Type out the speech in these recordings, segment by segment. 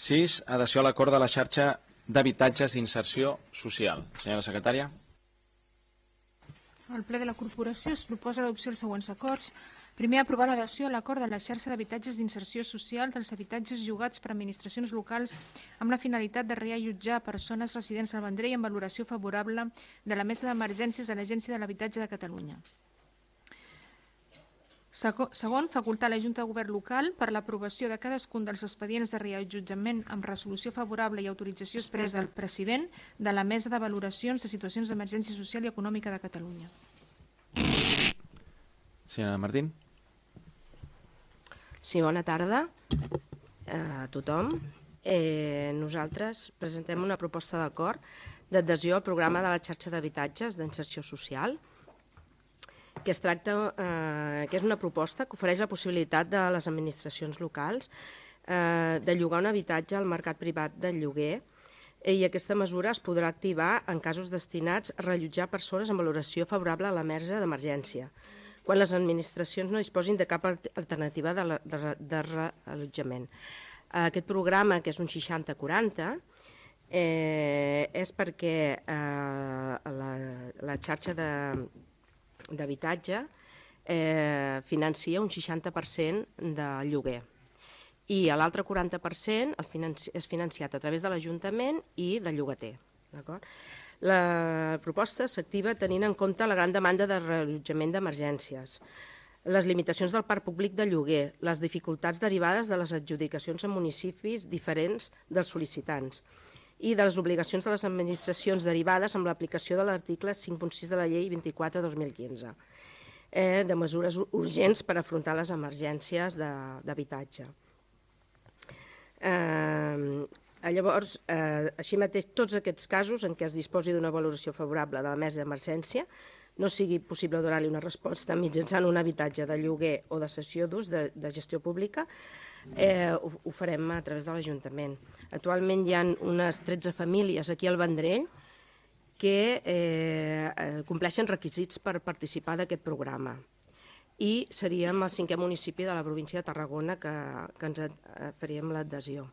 6. Adhesió a l'acord de la xarxa d'habitatges d'inserció social. Senyora secretària. Al ple de la corporació es proposa l'adopció dels següents acords. Primer, aprovar l'adhesió a l'acord de la xarxa d'habitatges d'inserció social dels habitatges llogats per administracions locals amb la finalitat de reallotjar persones residents al Vendrell amb valoració favorable de la Mesa d'Emergències de l'Agència de l'Habitatge de Catalunya. Segon, facultar la Junta de Govern local per l'aprovació de cadascun dels expedients de reallotjament amb resolució favorable i autorització expressa del president de la Mesa de Valoracions de Situacions d'Emergència Social i Econòmica de Catalunya. Senyora Martín. Sí, bona tarda a tothom. Nosaltres presentem una proposta d'acord d'adhesió al programa de la xarxa d'habitatges d'inserció social, que es tracta, que és una proposta que ofereix la possibilitat de les administracions locals de llogar un habitatge al mercat privat del lloguer, i aquesta mesura es podrà activar en casos destinats a reallotjar persones amb valoració favorable a la mesa d'emergència, quan les administracions no disposin de cap alternativa de reallotjament. Aquest programa, que és un 60-40, és perquè la xarxa d'habitatge financia un 60% de lloguer i l'altre 40% és financiat a través de l'Ajuntament i del llogater. La proposta s'activa tenint en compte la gran demanda de reallotjament d'emergències, les limitacions del parc públic de lloguer, les dificultats derivades de les adjudicacions en municipis diferents dels sol·licitants i de les obligacions de les administracions derivades amb l'aplicació de l'article 5.6 de la Llei 24/2015, de mesures urgents per afrontar les emergències d'habitatge. Llavors, així mateix, tots aquests casos en què es disposi d'una valoració favorable de la mesa d'emergència no sigui possible donar-li una resposta mitjançant un habitatge de lloguer o de cessió d'ús de gestió pública, ho farem a través de l'Ajuntament. Actualment hi ha unes 13 famílies aquí al Vendrell que compleixen requisits per participar d'aquest programa i seríem el 5è municipi de la província de Tarragona que ens faríem l'adhesió.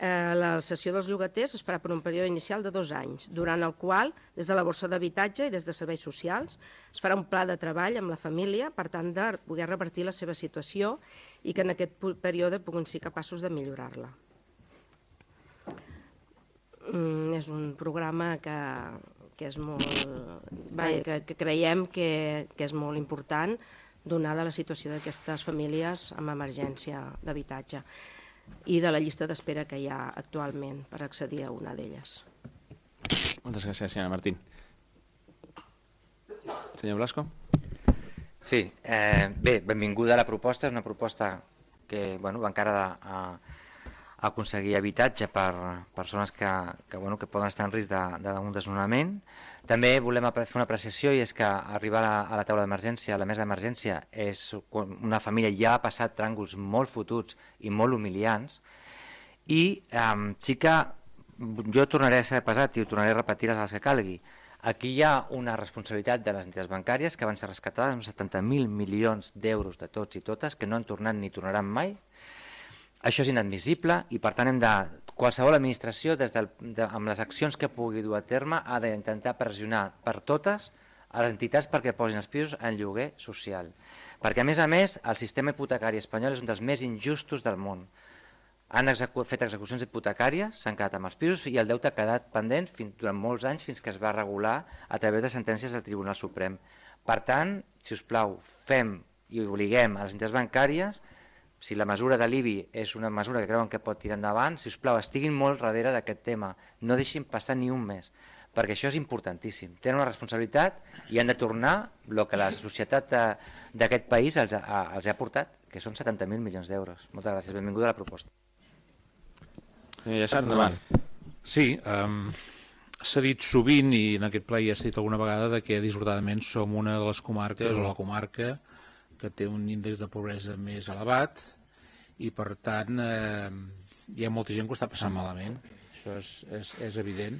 La cessió dels llogaters es farà per un període inicial de 2 anys, durant el qual, des de la borsa d'habitatge i des de serveis socials, es farà un pla de treball amb la família per tant de poder revertir la seva situació i que en aquest període puguin ser capaços de millorar-la. És un programa que creiem que és molt important donada la situació d'aquestes famílies amb emergència d'habitatge i de la llista d'espera que hi ha actualment per accedir a una d'elles. Moltes gràcies, senyora Martín. Senyor Blasco. Sí, bé, benvinguda a la proposta. És una proposta que va encara a aconseguir habitatge per persones que poden estar en risc d'un desnonament. També volem fer una apreciació, i és que arribar a la taula d'emergència, a la mesa d'emergència, és quan una família ja ha passat tràngols molt fotuts i molt humiliants, i sí que jo tornaré a ser pesat i ho tornaré a repetir les vegades que calgui. Aquí hi ha una responsabilitat de les entitats bancàries que van ser rescatades amb 70.000 milions d'euros de tots i totes que no han tornat ni tornaran mai. Això és inadmissible i, per tant, qualsevol administració, amb les accions que pugui dur a terme, ha d'intentar pressionar per totes a les entitats perquè posin els pisos en lloguer social. Perquè, a més, el sistema hipotecari espanyol és un dels més injustos del món. Han fet execucions hipotecàries, s'han quedat amb els pisos i el deute ha quedat pendent durant molts anys fins que es va regular a través de sentències del Tribunal Suprem. Per tant, si us plau, fem i obliguem a les entitats bancàries. Si la mesura de l'IBI és una mesura que creuen que pot tirar endavant, si us plau, estiguin molt darrere d'aquest tema, no deixin passar ni un mes, perquè això és importantíssim. Tenen una responsabilitat i han de tornar el que la societat d'aquest país els ha portat, que són 70.000 milions d'euros. Moltes gràcies, benvinguda a la proposta. Senyor Llesat, endavant. Sí, s'ha dit sovint, i en aquest ple ja s'ha dit alguna vegada, que dissortadament som una de les comarques, o la comarca, que té un índex de pobresa més elevat i, per tant, hi ha molta gent que ho està passant malament. Això és evident.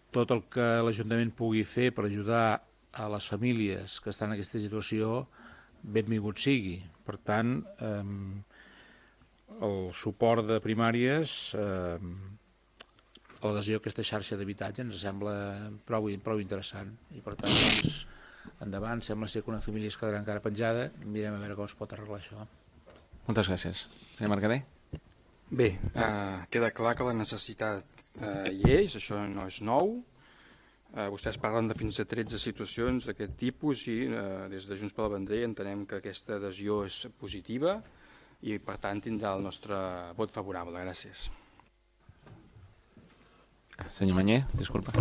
Tot el que l'Ajuntament pugui fer per ajudar a les famílies que estan en aquesta situació, benvingut sigui. Per tant, el suport de primàries a l'adhesió a aquesta xarxa d'habitatge ens sembla prou interessant i per tant doncs, endavant, sembla ser que una família es quedarà encara penjada, mirem a veure com es pot arreglar això. Moltes gràcies. Senyor Mercader? Bé, queda clar que la necessitat hi és, això no és nou. Vostès parlen de fins a 13 situacions d'aquest tipus i des de Junts per la Bandera entenem que aquesta adhesió és positiva i per tant tindrà el nostre vot favorable. Gràcies. Senyor Manyer, disculpa.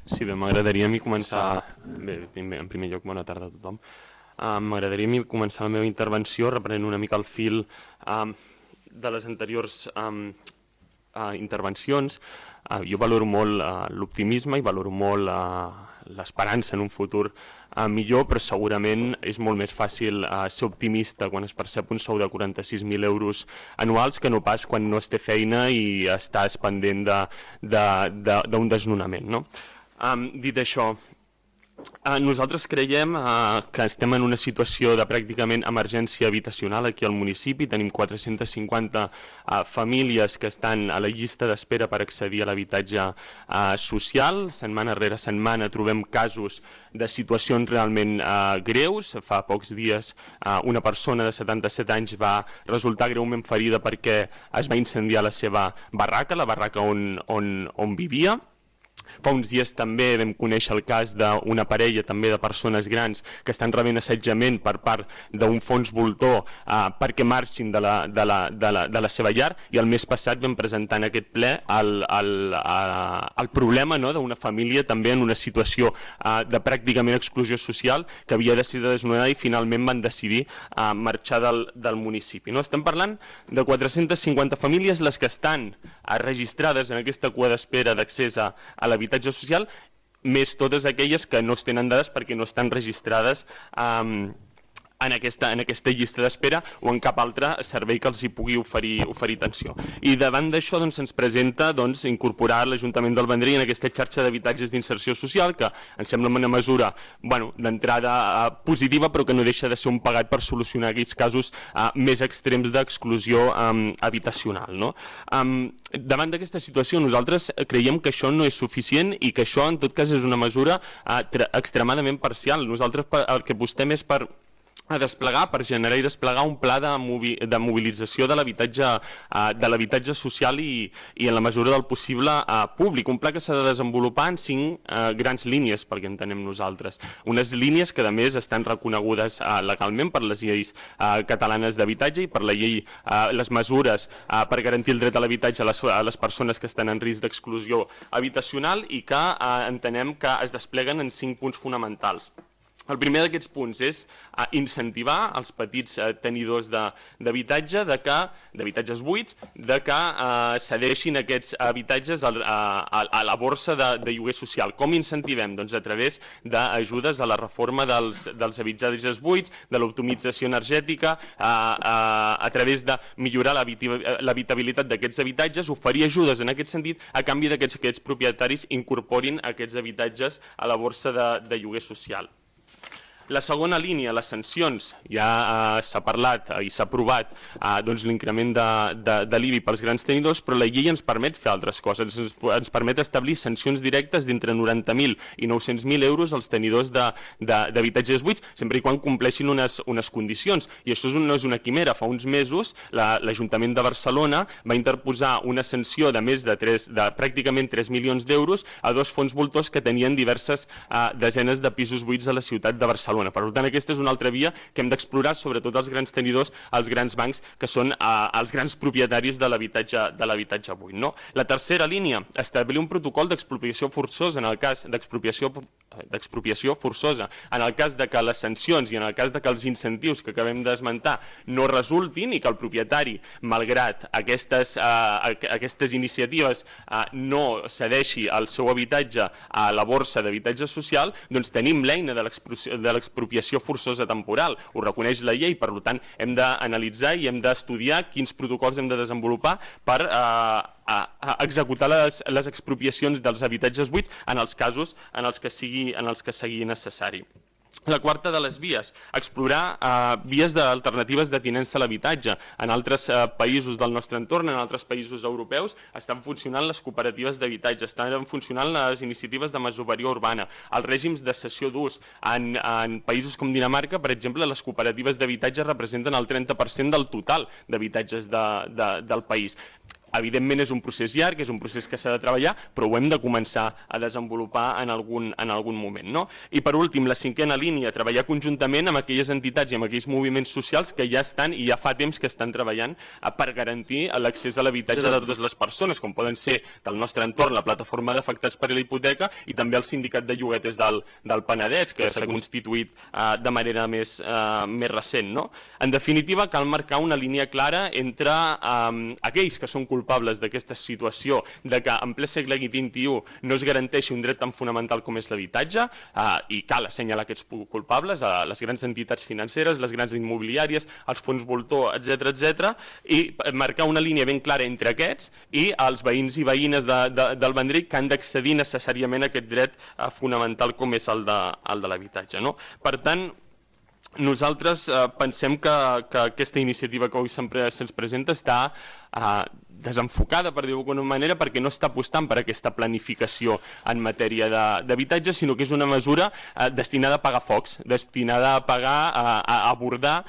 Sí, bé, m'agradaria a mi començar... Bé, en primer lloc, bona tarda a tothom. M'agradaria a mi començar la meva intervenció reprenent una mica el fil de les anteriors intervencions. Jo valoro molt l'optimisme i valoro molt l'esperança en un futur millor, però segurament és molt més fàcil ser optimista quan es percep un sou de 46.000 euros anuals que no pas quan no es té feina i estàs pendent d'un desnonament, no? Dit això, nosaltres creiem que estem en una situació de pràcticament emergència habitacional aquí al municipi. Tenim 450 famílies que estan a la llista d'espera per accedir a l'habitatge social. Setmana rere setmana trobem casos de situacions realment greus. Fa pocs dies una persona de 77 anys va resultar greument ferida perquè es va incendiar la seva barraca, la barraca on vivia. Fa uns dies també vam conèixer el cas d'una parella també de persones grans que estan rebent assetjament per part d'un fons voltor perquè marxin de la seva llar, i el mes passat vam presentar en aquest ple el problema d'una família també en una situació de pràcticament exclusió social que havia decidit desnonar i finalment van decidir marxar del municipi. Estem parlant de 450 famílies les que estan registrades en aquesta cua d'espera d'accés a l'habitatge social, més totes aquelles que no es tenen dades perquè no estan registrades en aquesta llista d'espera o en cap altre servei que els hi pugui oferir atenció. I davant d'això ens presenta incorporar l'Ajuntament del Vendrell en aquesta xarxa d'habitatges d'inserció social, que ens sembla una mesura d'entrada positiva, però que no deixa de ser un pegat per solucionar aquells casos més extrems d'exclusió habitacional. Davant d'aquesta situació nosaltres creiem que això no és suficient i que això en tot cas és una mesura extremadament parcial. Nosaltres el que apostem és per desplegar, per generar i desplegar un pla de mobilització de l'habitatge social i en la mesura del possible públic. Un pla que s'ha de desenvolupar en 5 grans línies, perquè entenem nosaltres. Unes línies que a més estan reconegudes legalment per les lleis catalanes d'habitatge i per la llei, les mesures per garantir el dret a l'habitatge a les persones que estan en risc d'exclusió habitacional i que entenem que es despleguen en 5 punts fonamentals. El primer d'aquests punts és incentivar els petits tenidors d'habitatges buits que cedeixin aquests habitatges a la borsa de lloguer social. Com incentivem? Doncs a través d'ajudes a la reforma dels habitatges buits, de l'optimització energètica, a través de millorar l'habitabilitat d'aquests habitatges, oferir ajudes en aquest sentit a canvi que aquests propietaris incorporin aquests habitatges a la borsa de lloguer social. La segona línia, les sancions, ja s'ha parlat i s'ha aprovat l'increment de l'IBI pels grans tenidors, però la llei ens permet fer altres coses, ens permet establir sancions directes d'entre 90.000 i 900.000 euros als tenidors d'habitatges buits, sempre i quan compleixin unes condicions. I això no és una quimera. Fa uns mesos l'Ajuntament de Barcelona va interposar una sanció de més de pràcticament 3 milions d'euros a 2 fons voltors que tenien diverses desenes de pisos buits a la ciutat de Barcelona. Per tant, aquesta és una altra via que hem d'explorar, sobretot els grans tenidors, els grans bancs, que són els grans propietaris de l'habitatge buit. La tercera línia, establir un protocol d'expropiació forçosa en el cas d'expropiació forçosa, en el cas de que les sancions i en el cas de que els incentius que acabem d'esmentar no resultin i que el propietari, malgrat aquestes iniciatives, no cedeixi el seu habitatge a la borsa d'habitatge social, doncs tenim l'eina de l'expropiació forçosa temporal. Ho reconeix la llei, per tant hem d'analitzar i hem d'estudiar quins protocols hem de desenvolupar per executar les expropiacions dels habitatges buits en els casos en els que sigui necessari. La quarta de les vies, explorar vies alternatives de tinença a l'habitatge. En altres països del nostre entorn, en altres països europeus, estan funcionant les cooperatives d'habitatge, estan funcionant les iniciatives de masoveria urbana, els règims de cessió d'ús. En països com Dinamarca, per exemple, les cooperatives d'habitatge representen el 30% del total d'habitatges del país. Evidentment és un procés llarg, és un procés que s'ha de treballar, però ho hem de començar a desenvolupar en algun moment. No? I per últim, la cinquena línia, treballar conjuntament amb aquelles entitats i amb aquells moviments socials que ja estan i ja fa temps que estan treballant per garantir l'accés a l'habitatge de totes les persones, com poden ser del nostre entorn la plataforma d'afectats per la hipoteca i també el sindicat de lloguers del Penedès, que s'ha constituït de manera més recent. No? En definitiva, cal marcar una línia clara entre aquells que són culpables d'aquesta situació de que en ple segle XXI no es garanteixi un dret tan fonamental com és l'habitatge i cal assenyalar aquests culpables, a les grans entitats financeres, les grans immobiliàries, els fons voltor, etc. i marcar una línia ben clara entre aquests i els veïns i veïnes del Vendrell que han d'accedir necessàriament a aquest dret fonamental com és el de l'habitatge. Per tant, nosaltres pensem que aquesta iniciativa que avui se'ns presenta està desenfocada, per dir-ho d'alguna manera, perquè no està apostant per aquesta planificació en matèria d'habitatge, sinó que és una mesura destinada a apagar focs, destinada a abordar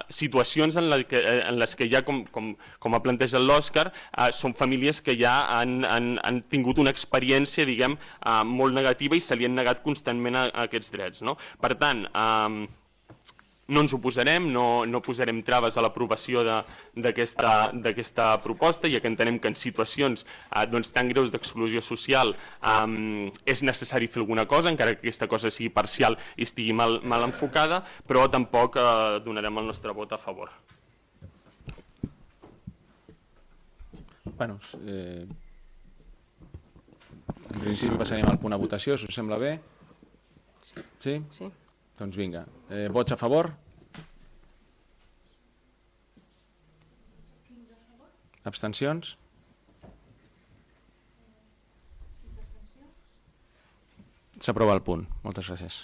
situacions en les que ja, com ha plantejat l'Òscar, són famílies que ja han tingut una experiència, diguem, molt negativa i se li han negat constantment a aquests drets. Per tant, no ens oposarem, no posarem traves a l'aprovació d'aquesta proposta, ja que entenem que en situacions tan greus d'exclusió social és necessari fer alguna cosa, encara que aquesta cosa sigui parcial i estigui mal enfocada, però tampoc donarem el nostre vot a favor. Bueno, en principi passarem al punt a votació, si us sembla bé. Sí? Sí. Doncs vinga. Vots a favor? Abstencions? S'aprova el punt. Moltes gràcies.